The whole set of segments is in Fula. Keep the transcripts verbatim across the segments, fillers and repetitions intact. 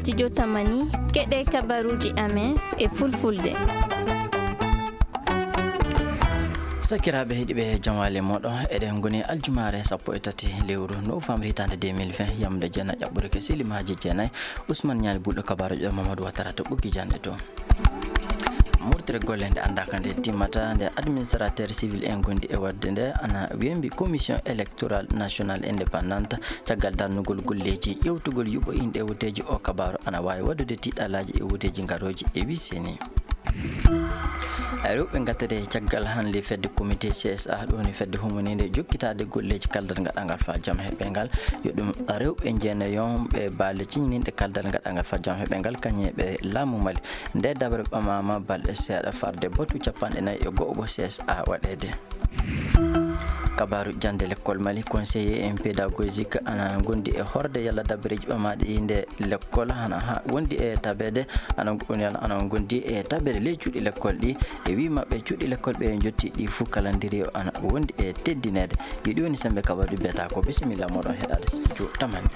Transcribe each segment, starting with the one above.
Studio Tamani, keɗe kabaruuji amen e fulfulde. Sakiraaɓe heɗiiɓe, jamaale mooɗon, eɗen ngoni aljumaare sappo e tati lewru novembre hitaande deux mille vingt, yamde jeenayi ƴaɓɓude ke silimaaji jeenayi. Ousmane Ñaali Bulɗo, kabaaruuji ɗo Mamadou Ouattara to ɓoggi jannde to. Murtere golle nde anndaaka nde timmata, nde administrateur civil en gondi e waɗde nde ana wembi Commission électorale nationale indépendante, caggal darnugol golleeji ƴewtugol yuɓɓo inɗe woteeji. O kabaaru ana waawi waɗude tiɗɗalaaji e woteeji garooji e wiseni. Rewɓe ngattete caggal hannde fedde comité C S A, ɗo woni fedde humaniinde jokkitaade golleeji kaldal ngaɗangal faa jam heɓe ngal. Yo ɗum rewɓe jeenayon ɓe baale ciñininɗe kaldal ngaɗangal faa jam heɓe ngal, kañum e ɓe laamu Mali. Nde dabre ɓamaama balɗe seeɗa farde batu capanɗe nayi e go'o C S A waɗeede. Kabaaru jannde lekkol Mali, conseiller en pédagogique ana gondi e horde yalla dabareeji ɓamaaɗi nde lekkol hana ha wondi e tabeede, ana, yalla ana gondi e tabeede ley cuuɗi lekkol ɗi. E wii maɓɓe cuuɗi lekkol ɓe jotti ɗi fuu kalandiriye o ana wondi e teddineede. Yo ɗi woni sembe kabaaru beta ko. Bisimilla moɗon heɗaade studio Tamani.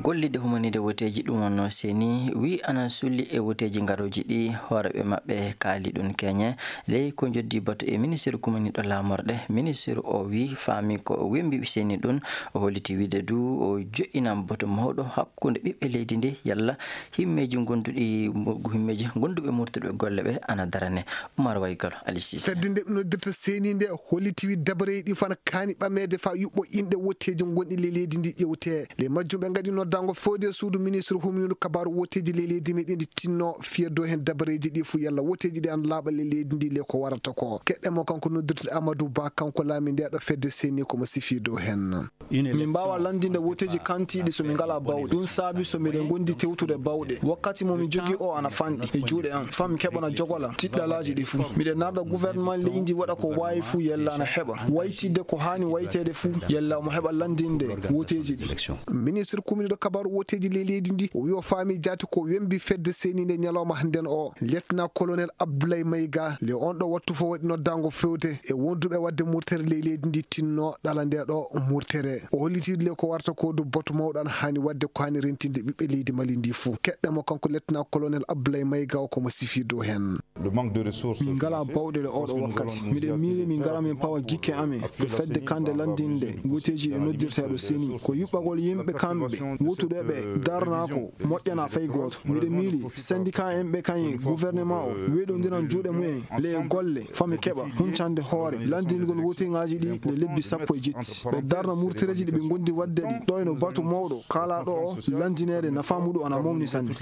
Gollidde humaniinde woteeji ɗum wonnoo seni wii ana sulli e woteeji garooji ɗi, hooreeɓe maɓɓe kaali ɗum keñe. Ley ko joddi batu e ministiru kumaniiɗo laamorɗe, ministiru o wii faami ko wembi seni ɗum. O holliti wiide du o jo'inan batu mawɗo hakkunde ɓiɓɓe leydi ndi yalla himmeeji gonduɗi, himmeeji gonduɓe murtuɓe golle ɓe ana darane. Umar Waygalo, Ali Sise. Fedde nde ɓe noddirta seni nde holliti wii dabareeji ɗi fana kaani ɓameede faa yuɓɓo inɗe woteeji gonɗi ley leydi ndi ƴewte. Ley majjum ɓe ngaɗi noddaango fewde e suudu ministre humniiɗo kabaaru woteeji ley leydi meɗen ndi tinno fiya dow heen dabareeji ɗi fuu yalla woteeji ɗi ana laaɓa ley leydi ndi ley ko warata ko. Keɗɗen mo kanko noddirte Amadou Ba, kanko laami nde ɗo fedde seni ko mo sifi dow heen. Min mbaawa lanndinde woteeji kantiiɗi so min ngalaa bawɗe. Ɗum saabi so miɗen ngondi tewtude bawɗe. Wakkati mo mi jogii o ana fanɗi e juuɗe am. Faa mi keɓana jogola tiɗɗalaaji ɗi fuu. Miɗen narda gouvernement leydi ndi waɗa ko waawi fuu yalla ana heɓa waytidde ko haani wayteede fuu yalla omo heɓa lanndinde woteeji ɗi. Ministre kumniiɗo kabaaru woteeji ley leydi ndi o wii o faami jaati ko wembi fedde seni nde ñalawma hannden o. Lieutenant colonel Abdoulaye Maïga, le on ɗo wattu fof waɗi noddaango fewde e wonduɓe waɗde murtere ley leydi ndi tinno ɗala nde ɗo murtere. O holliti le ko warta ko du batu mawɗo ana haani waɗde ko haani rentinde ɓiɓɓe leydi Mali ndi fuu. Keɗɗen mo kanko lieutenant colonel Abdoulaye Maïga o ko mo sifi dow heen. Min ngalaa bawɗe le oɗo wakkati. Miɗen miili min ngara min pawa gikke amen ɗo fedde kande lanndinde woteeji ɗi noddirteeɗo seni. Ko yuɓɓagol yimɓe kamɓe wotude ɓe darnaa ko moƴƴanaa fay gooto. Miɗen miili syndicat en ɓe kañe gouvernement o weeɗondiran juuɗe mumen le e golle faa mi keɓa huncande hoore lanndingol wotingaaji ɗi le lebbi sappo e jetti. Ɓe darna murtereeji ɗi ɓe ngondi waɗde ɗi. Ɗo eno batu mawɗo kaalaaɗo o lanndineede nafaa muɗum ana mawni sanne.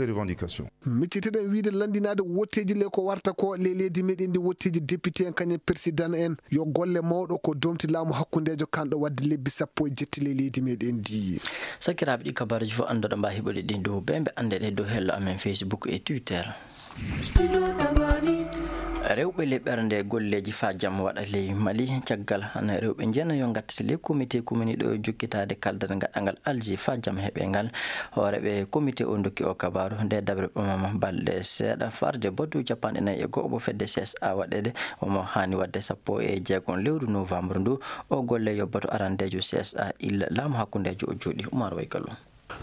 Micciteɗen wiide lanndinaade wotteeji le ko warta ko le leydi meɗen ndi wotteeji député en kañum président en yo golle mawɗo ko domti laamu hakkundeejo kanɗo waɗde lebbi sappo e jetti le leydi meɗen ndi. Sakiraaɓe ɗi kabaruuji fof anndoɗo mba heɓude ɗin dow ɓe ɓe anndeɗe dow hello amen Facebook e Twitter. Rewɓe le ɓernde golleeji faa jam waɗa ley Mali caggal hana rewɓe njeena yo ngattata ley comité kumini ɗo jokkitaade kaldal ngaɗangal Alger faa jam heɓe ngal. Hooreeɓe comité o ndokki o kabaaru nde dabre ɓamama balɗe seeɗa farde batu capanɗe nayi e go'o mo fedde C S A waɗeede. Omo haani waɗde sappo e jeegom lewru novembre ndu. O golle yo batu arandeejo C S A illa laamu hakkundeejo o jooɗi. Umar Waygallo.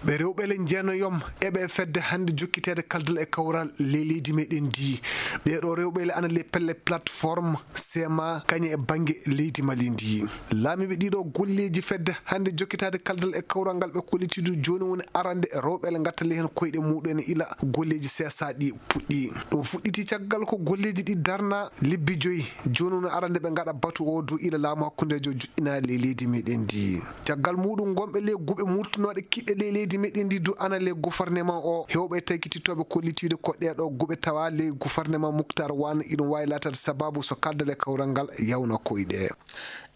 Ɓe rewɓe le njeenayom eɓe fedde hannde jokkiteede kaldal e kawral ley leydi meɗen ndi. Ɓeeɗo rewɓe le ana le pelle plateforme sema kañe e bannge leydi Mali ndi. Laamiiɓe ɗiɗo golleeji fedde hannde jokkitaade kaldal e kawral ngal ɓe kollitiidu jooni woni arande rewɓe le ngattali heen koyɗe muɗum en ila golleeji seesaaɗi puɗɗi. Ɗum fuɗɗiti caggal ko golleeji ɗi darna lebbi joyi. Jooni woni arande ɓe ngaɗa batu o dow ila laamu hakkundeejo joɗɗinaali ley leydi meɗen ndi. Caggal muɗum, gonɓe ley guɓe murtunooɗe kiɗɗe ley leydi meɗen ndi du ana ley gouvernement o. Hewɓe tagititooɓe kollitiiɓe ko ɗeeɗo guɓe tawa ley gouvernement Muktar Wan, iɗum waawi laataade sababu so kaldal e kawral ngal yawna koyɗe.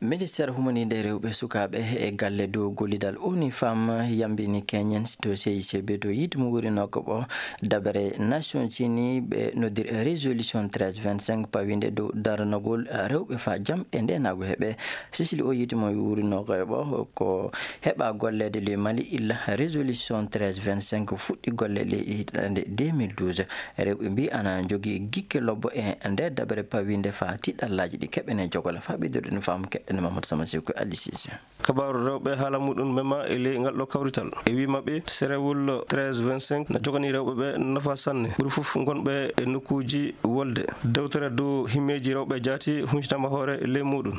Ministeer humaniinde rewɓe, sukaaɓe e galle dow gollidal ONU Femmes yambini keñen to C I C B dow yiite mo wurinooka ɓo dabere Nations Unies ɓe noddiri résolution treize vingt-cinq pawinde dow darnagol rewɓe faa jam e ndeenaagu heɓe. Sisili o yiite mo wurinooka ɓo ko heɓa golleede le Mali illa Résolution treize vingt-cinq fuɗɗi golle ley hitaande deux mille douze. Rewɓe mbii ana njogii gikke lobbo e nder dabere pawiinde faa tiɗallaaji ɗi keɓene jogola. Faa ɓeydude no faamu keɗɗene Mamadou Sama Siko Ali Sise. Kabaaru rewɓe haala muɗum mema e ley ngal ɗo kawrital. E wii maɓɓe, serewol treize vingt-cinq na joganii rewɓe ɓe nafa sanne. Ɓuri fof ngonɓe e nokkuuji wolde. Dewtere dow himmeeji rewɓe jaati huncitama hoore ley muɗum.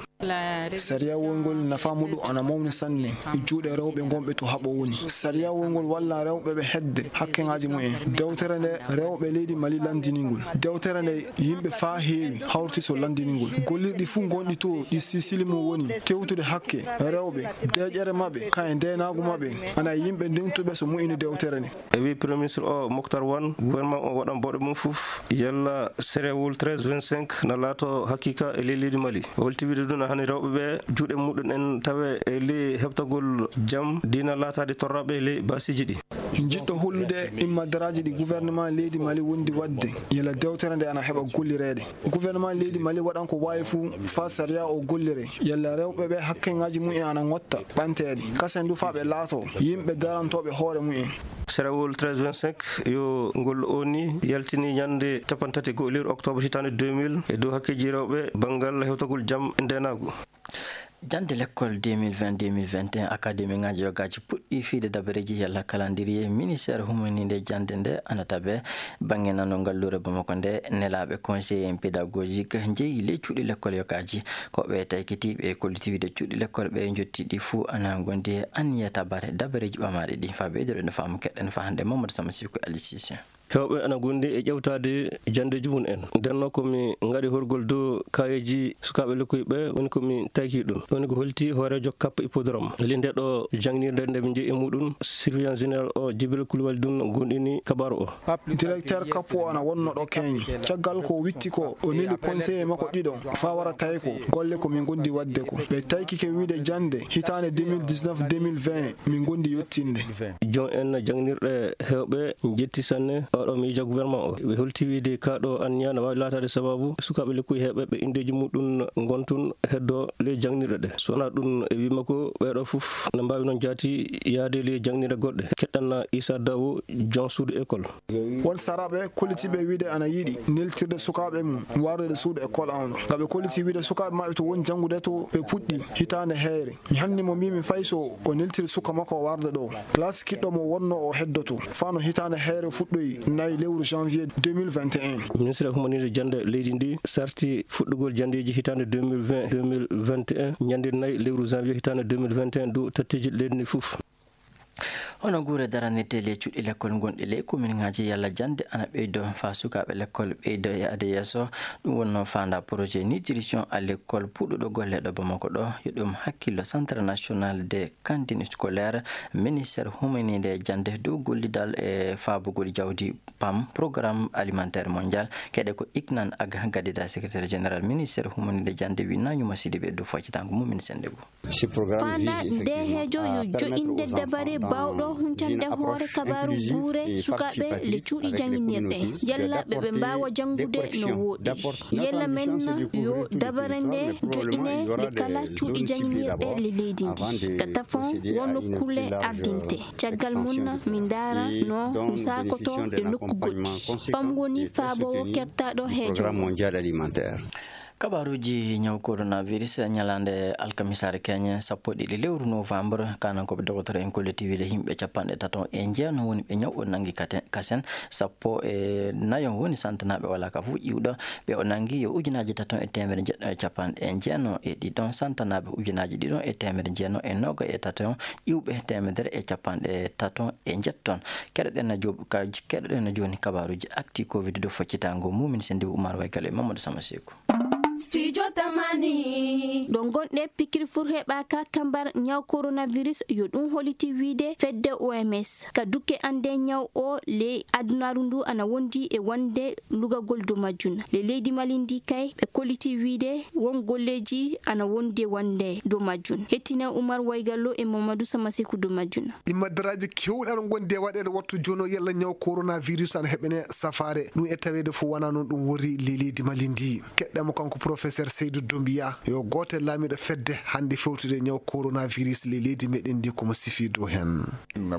Sariya wongol nafa muɗum ana mawni sanne e juuɗe rewɓe ngonɓe to haɓo woni. Sariya wongol walla rewɓe ɓe hedde hakkeŋaaji mumen. Dewtere nde rewɓe leydi Mali lanndini ngol. Dewtere nde yimɓe faa heewi hawti so lanndini ngol. Gollirɗi fuu ngonɗi to ɗi sisili mum woni tewtude hakke rewɓe, deeƴere maɓɓe, kaye ndeenaagu maɓɓe, ana yimɓe ndewtuɓe so moƴƴini dewtere nde. E wii Premier Ministre o, Moctar Wan, gouvernement o waɗan bawɗe mum fof yalla serewol treize vingt-cinq na laato hakiika e ley leydi Mali. O holti wiide ɗum, hani rewɓe ɓe juuɗe muɗum en tawe e ley heɓtagol jam, diina laataade torraɓe ley baasiiji ɗi. Njiɗɗo hollude immadaraaji ɗi gouvernement leydi Mali wondi waɗde, yalla dewtere nde ana heɓa gollireede. Gouvernement leydi Mali waɗan ko waawi fuu faa sariya o gollire, yalla rewɓe ɓe hakkeŋaaji mumen ana ŋotta ɓanteede. Kasen du faa ɓe laato yimɓe darantooɓe hoore mumen. Serewol treize vingt-cinq yo ngol O N U yaltini ñande cappanɗe tati e go'o lewru octobre hitaande deux mille e dow hakkeeji rewɓe banngal hewtagol jam e ndeenaagu. Jannde lekkol deux mille vingt, deux mille vingt et un, akademiŋaaji yogaaji puɗɗii fiyde dabareeji yalla calendrier. Ministeer humaniinde jannde nde ana tabe bannge nano ngalluure Bamako nde. Nelaaɓe conseiller en pédagogique njeyi ley cuuɗi lekkol yogaaji. Ko ɓe taykitiiɓe e kollitiiɓe cuuɗi lekkol ɓe njotti ɗi fuu ana ngondi e anniya tabare dabareeji ɓamaaɗi ɗi. Faa ɓeydude no faamu keɗɗen faa hannde Mamadou Sama Siko Ali Sise. Heewɓe ana ngondi e ƴeewtaade janndeeji mum en. Ndennoo ko mi ngaɗi horgol dow kaayeeji sukaaɓe lekkoy ɓe, woni ko mi tayki ɗum. Woni ko holti hooreejo Cap Hippodrome. Eli nde ɗo jangnirde nde min njeyi e muɗum surveillant général o Jibril Koulibaly ɗum gonɗini kabaaru o. Directeur Cap o ana wonno ɗo keñi. Caggal ko witti ko o neli conseiller makko ɗiɗo faa wara tawi ko golle ko min ngondi waɗde ko. Ɓe taykike wiide jannde hitaande deux mille dix-neuf, deux mille vingt min ngondi yottinde. Joom en jangnirɗe heewɓe njetti sanne oɗo miijo gouvernement o. Ɓe holti wiide kaa ɗo anniya no waawi laataade sababu sukaaɓe lekkoy heewɓe ɓe inndeeji muɗum ngontun heddo ley jangnirɗe ɗe. So wonaa ɗum e wii makko ɓee ɗo fof no mbaawi noon jaati yaade ley jangnirɗe goɗɗe. Keɗɗen Issa Dawo, joom suudu école. Won saraaɓe kollitiiɓe wiide ana yiɗi neltirde sukaaɓe mum warde suudu école an ɗo. Nga ɓe kolliti wiide sukaaɓe maɓɓe to woni janngude to ɓe puɗɗi hitaande heyre. Mi hanni mo mbiimi fay so o neltiri suka makko o warda ɗo. Classe kiɗɗo mo wonno o heddoto. Fano hitaande heyre fuɗɗoyi nayi lewru janvier deux mille vingt et un. Ministre humaniinde jannde leydi ndi sarti fuɗɗugol janndeeji hitaande deux mille vingt, deux mille vingt et un, ñande nayi lewru janvier hitaande deux mille vingt et un dow tatteeji leydi ndi fof. Hono guure daranirtee ley cuuɗi lekkol gonɗi ley kominŋaaji yalla jannde ana ɓeydo faa sukaaɓe lekkol ɓeydo yaade yeeso. Ɗum wonnoo faandaa projet nutrition à l'école puɗɗuɗo golle ɗo Bamako ɗo. Yo ɗum hakkillo Centre National des Cantines Scolaires, ministère humaniinde jannde dow gollidal e faabugol jawdi pam, Programme Alimentaire Mondial. Keɗe ko Iknan Aga gadida secrétaire général ministère humaniinde jannde wi Nañuma Sidibe dow faccitaango mum min sennde goo. Faandaa nde heejo yo joƴƴinde dabare baawɗo huncande hoore kabaaru guure sukaaɓe le cuuɗi jannginirɗe, yalla ɓe ɓe mbaawa janngude no wooɗi. Yalla men yo dabare nde joƴƴine le kala cuuɗi jannginirɗe le leydi ndi. Ka tafon won nokkuule ardinte. Caggal mum min ndaara no ɗum saakoto e nokku goɗɗi. Pam woni faaboowo kertaaɗo heejo. Kabaaruuji ñaw coronavirus, ñalaande alkamisaare keñe sappo e ɗiɗi lewru novembre, kanankooɓe dogotoro en kolliti wiide yimɓe capanɗe tato e jeenayi woni ɓe ñaw o nanngi kate-, kasen, sappo e nayo woni santanaaɓe walaa ka fof iwɗo. Ɓe o nanngi yo ujunaaji tato e teemedde jeɗɗo e capanɗe jeenayi e ɗiɗo, santanaaɓe ujunaaji ɗiɗo e teemedde jeenayi e noogay e tato, iwɓe teemedere e capanɗe tato e jeetati. Keɗoɗen na joob-, ka-, keɗoɗen na jooni kabaaruuji actu covid dow faccitaango mum min senndiiɓe Umar Waykal e Mamadou Sama Seeku. Studio Tamani. Ɗo ngonɗe, pikiri fur heɓaaka kambar ñaw coronavirus, yo ɗum holliti wiide fedde O M S. Ka dukke annde ñaw o, le adunaaru ndu ana wondi e wonde lugagol dow majjum. Le leydi Mali ndi kay, ɓe kolliti wiide won golleeji ana wondi e wonde dow majjum. Hettine Umar Waygallo e Mamadou Sama Seeku dow majjum. Immadaraaji keewɗi ana ngondi e waɗeede wattu jooni o yalla ñaw coronavirus ana heɓene safaare. Ɗum e taweede fof wonaa noon ɗum worri le leydi Mali ndi. Keɗɗen mo kanko Professeur Seydou Doumbia, yo gooto e laamiiɗo fedde hannde fewtude e ñaw coronavirus ley leydi meɗen ndi, ko mo sifii dow heen.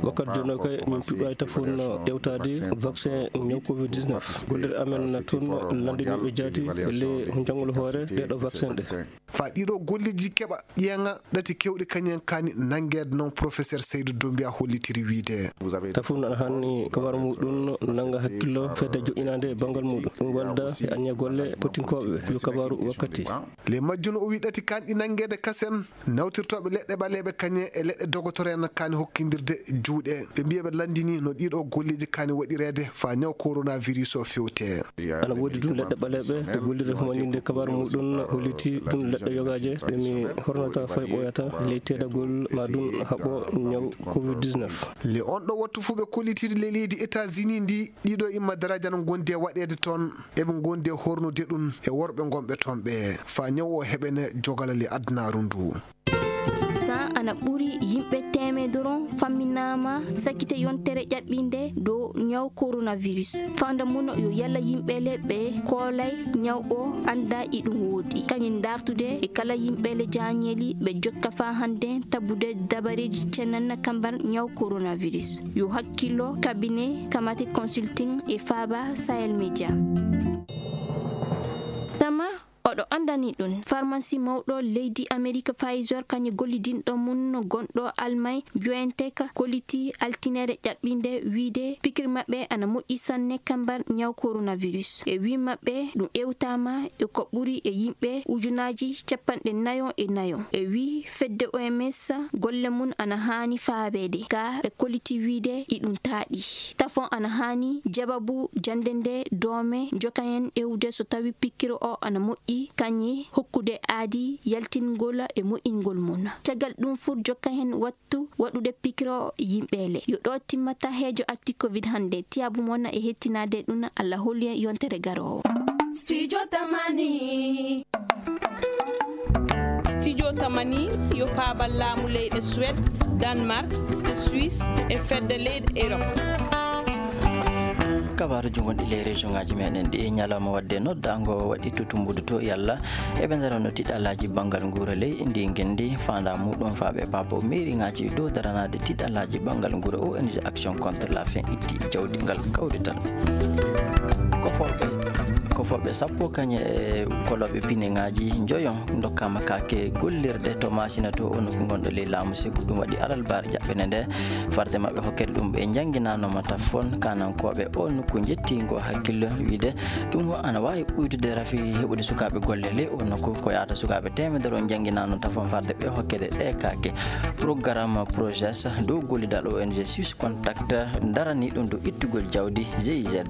Wakkati jooni o kay, min puɗɗaaki tafoon ƴeewtaade vaccin ñaw covid dix-neuf. Gollirɗe amen na toon lanndiniiɓe jaati e ley njangol hoore ɗeeɗo vaccin ɗe. Faa ɗiɗo golleeji keɓa ƴeeŋa ɗati keewɗi kañum en kaani nanngeede noon, Professeur Seydou Doumbia hollitiri wiyde. Tafoon ana haani kabaaru muɗum nannga hakkillo fedde joɗɗinaande banngal muɗum. Ɗum walda e anniya golle potinkooɓe ɓe yo kabaaru wakkati. Ley majjum o wi ɗati kaanɗi nanngeede kasen, nawtirtooɓe leɗɗe ɓaleeɓe kañum e leɗɗe dogotoro en kaani hokkindirde juuɗe. Ɓe mbiya ɓe lanndini no ɗiɗo golleeji kaani waɗireede faa ñaw coronavirus o fewte. Ana woodi ɗum leɗɗe ɓaleeɓe e gollirde humaninde kabaaru muɗum holliti ɗum leɗɗe yogaaje ɓe mi hornata fay ɓooyata ley teedagol ma ɗum haɓɓo ñaw covid dix-neuf. Ley on ɗo wattu fuu ɓe kollitiiɗo ley leydi États-Unis ndi, ɗiɗo imma daraja no ngondi e waɗeede toon. Eɓe ngondi e hornude ɗum e worɓe ngonɓe toon ɓe, faa ñaw o heɓene jogala ley adunaaru ndu. Sa ana ɓuri yimɓe teemedoro famminaama sakkite yontere ƴaɓɓinde dow ñaw coronavirus. Fanda mun yo yalla yimɓe le ɓe koolay ñaw o annda iɗum woodi. Kañum dartude e kala yimɓe le jaañeeli ɓe jokka faa hannde tabude dabareeji cenanna kambar ñaw coronavirus. Yo hakkillo cabinet Kamate Consulting e Faaba Sahel Media. Tama oɗo anndani ɗum, farmasi mawɗo leydi Amerik Pfizer kañum gollidinɗo mum gonɗo Almay BioNTech kolliti altinere ƴaɓɓinde wiyde pikir maɓɓe ana moƴƴi sanne kambar ñaw coronavirus. E wii maɓɓe ɗum ewtaama e ko ɓuri e yimɓe ujunaaji capanɗe nayo e nayo. E wii fedde O M S golle mum ana haani faabeede, ka ɓe kolliti wiyde iɗum taaɗi. Tafon ana haani jababu jannde nde doome njoka heen ewde so tawi pikkiro o ana moƴƴi, kañum hokkude aadi yaltingol e moƴƴingol mum. Caggal ɗum fuu jokka heen wattu waɗude pikkiro yimɓe le. Yo ɗo timmata heejo acti covid hannde. Tiyaabu mon e hettinaade ɗum, Allah hollu en yontere garoowo. Studio Tamani. Studio Tamani yo paabal laamu leyɗe Suède, Danemark, Suisse e fedde leyɗe Europe. Kabaaruuji gonɗi ley région ŋaaji meɗen ɗi, ñalawma waɗde noddaango waɗi to Tumbudu to, yalla eɓe ndarano tiɗalaaji banngal nguura ley ndi ngenndi, faandaa muɗum faaɓe paabo mairie ŋaaji dow daranaade tiɗalaaji banngal nguura. O N G Action contre la faim itti jawdi ngal kawrital. Kofoɓe, kofoɓe sappo kañe e kolooɓe pine ŋaaji njoyo ndokkaama kaake gollirde to Maasina to, o nokku gonɗo ley laamu Segu. Ɗum waɗi alarba jaɓɓere nde, farde maɓɓe hokkere ɗum ɓe njannginaanoma tafon kanankooɓe o nokku njettiingo hakkillo wiyde ɗum ana waawi ɓuydude rafi heɓude sukaaɓe golle ley o nokku. Ko yahata sukaaɓe teemedere o njannginaano tafon farde ɓe hokkede ɗe kaake. Programme Projes dow gollidal O N G Swiss Contact darani ɗum dow ittugol jawdi G I Z.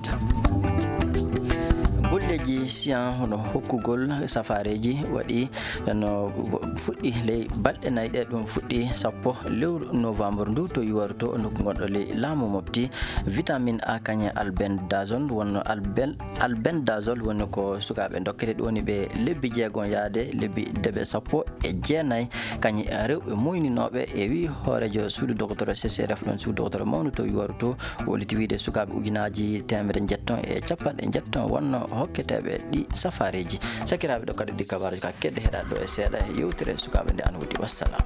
Golleeji siyan hono hokkugol safaareeji waɗi no fuɗɗi ley balɗe nayi ɗe, ɗum fuɗɗi sappo lewru novembre ndu to Yuwaru to, nokku gonɗo ley laamu Mopti. Vitamine A kañe albendazole wonno albel-, albendazole woni ko sukaaɓe dokkete, ɗum woni ɓe lebbi jeegom yaade lebbi deɓe sappo e jeenayi, kañe rewɓe muyninooɓe. E wii hooreejo suudu dogotoro C C R F, ɗon suudu dogotoro mawnu to Yuwaru to, o holliti wiide sukaaɓe ujunaaji teemedere njetton e capanɗe njetton wonno hokketeeɓe ɗi safaareeji. Sakiraaɓe, ɗo kadi ɗi kabaaruuji ka kedde heɗa ɗo e seeɗa e yewtere sukaaɓe nde an wodi. Wassalam.